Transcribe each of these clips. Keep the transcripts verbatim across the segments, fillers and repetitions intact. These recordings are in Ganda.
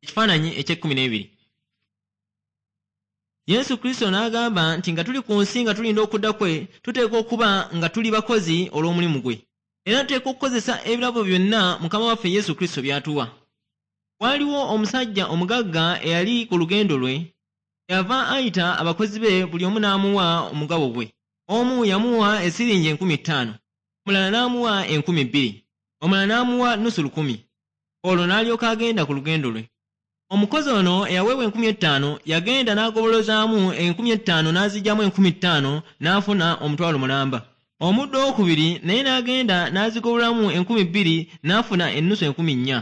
Ekifaananyi eky'ekkumi n'ebiri. Yesu Kristo n'agamba nti nga tuli ku nsi nga tulinda okudda kwe, tuteekwa okuba nga tuli bakozi olw'omulimu gwe. Era tuteekwa okukozesa ebirabo byonna Mukama waffe Yesu Kristo by'atuwa. Waaliwo omusajja omugagga eyali ku lugendo lwe, yava ayita abakozi be buli omu n'amuwa omugabo gwe. Omu yamuwa esiringi enkumi ttaano, omulala n'amuwa enkumi bbiri, omulala n'amuwa nusu lukumi. Olwo n'alyoka agenda ku lugendo lwe. Omukozi ono eyaweebwa enkumi ettaano yagenda n'agobolozaamu enkumi ettaano n'aziggyamu enkumi ttaano n'afuna omutwalo mulamba. Omuddu owookubiri naye n'agenda n'azigobolamu enkumi bbiri n'afuna ennusu enkumi nnya.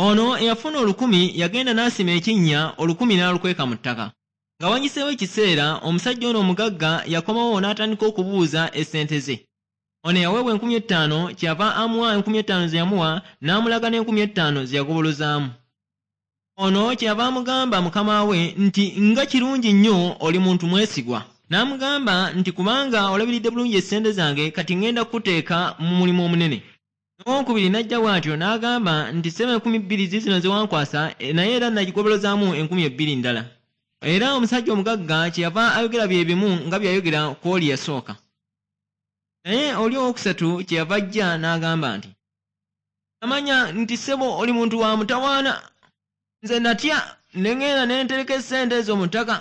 Ono eyafuna olukumi yagenda n'asima ekinnya olukumi n'alukweka mu ttaka. Nga wayiseewo ekiseera omusajja ono omugagga yakomawo n'atandika okubuuza essente ze. Ono eyaweebwa enkumi ettaano kyeyava amuwa enkumi ettaano ze yamuwa n'amulaga n'enkumi ettaano ze yagobolozaamu. Ono kyeyava amugamba mukama we nti nga kirungi nnyo oli muntu mwesigwa. N'amugamba nti kubanga olabiridde bulungi essente zange kati ŋŋenda kukuteeka mu mulimu omunene. N'owokubiri n'ajja bw'atyo n'agamba nti ssebo enkumi bbiri ziizino ze wankwasa naye era nagigobolozaamu enkumi ebbiri ndala. Era omusajja omugagga kyeyava ayogera bye bimu nga by'ayogera ku oli yasooka. Naye oli owookusatu kyeyava ajja n'agamba nti namanya nti ssebo oli muntu wa mutawaana. Nze natya ne ŋŋenda ne ntereka essente ezo mu ttaka.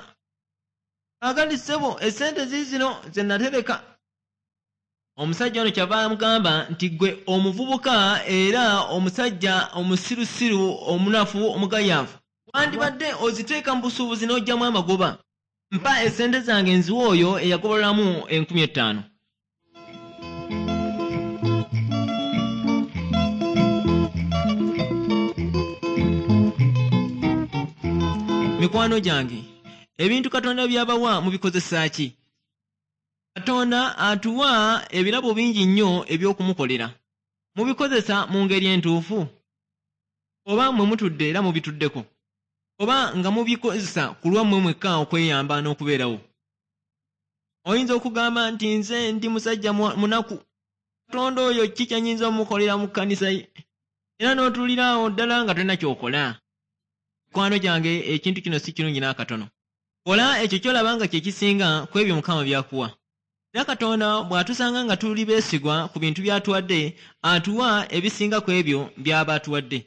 Kaakati ssebo essente ziizino ze natereka. Omusajja ono kyava amugamba nti ggwe omuvubuka era omusajja omusirusiru omunafu omugayaavu wandibadde oziteeka mu busuubuzi n'oggyamu amagoba. Mpa essente zange nziwe oyo eyagobolamu enkumi ettaano. Mikwano gyange, ebintu Katonda by'abawa mubikozesa ki? Katonda atuwa ebirabo bingi nnyo eby'okumukolera. Mubikozesa mu ngeri entuufu? Oba mmwe mutudde era mubituddeko? Oba nga mubikozesa ku lwammwe mwekka okweyamba n'okubeerawo? Oyinza okugamba nti nze ndi musajja munaku. Katonda oyo ki kye nnyinza omukolera mu kkanisa ye? Era n'otuulira awo ddala nga tolina ky'okola. Mikwano gyange, ekintu kino si kirungi n'akatono. Kola ekyo ky'olaba nga kye kisinga ku ebyo Mukama by'akuwa. Era Katonda bw'atusanga nga tuli beesigwa ku bintu by'atuwadde, atuwa ebisinga ku ebyo by'aba atuwadde.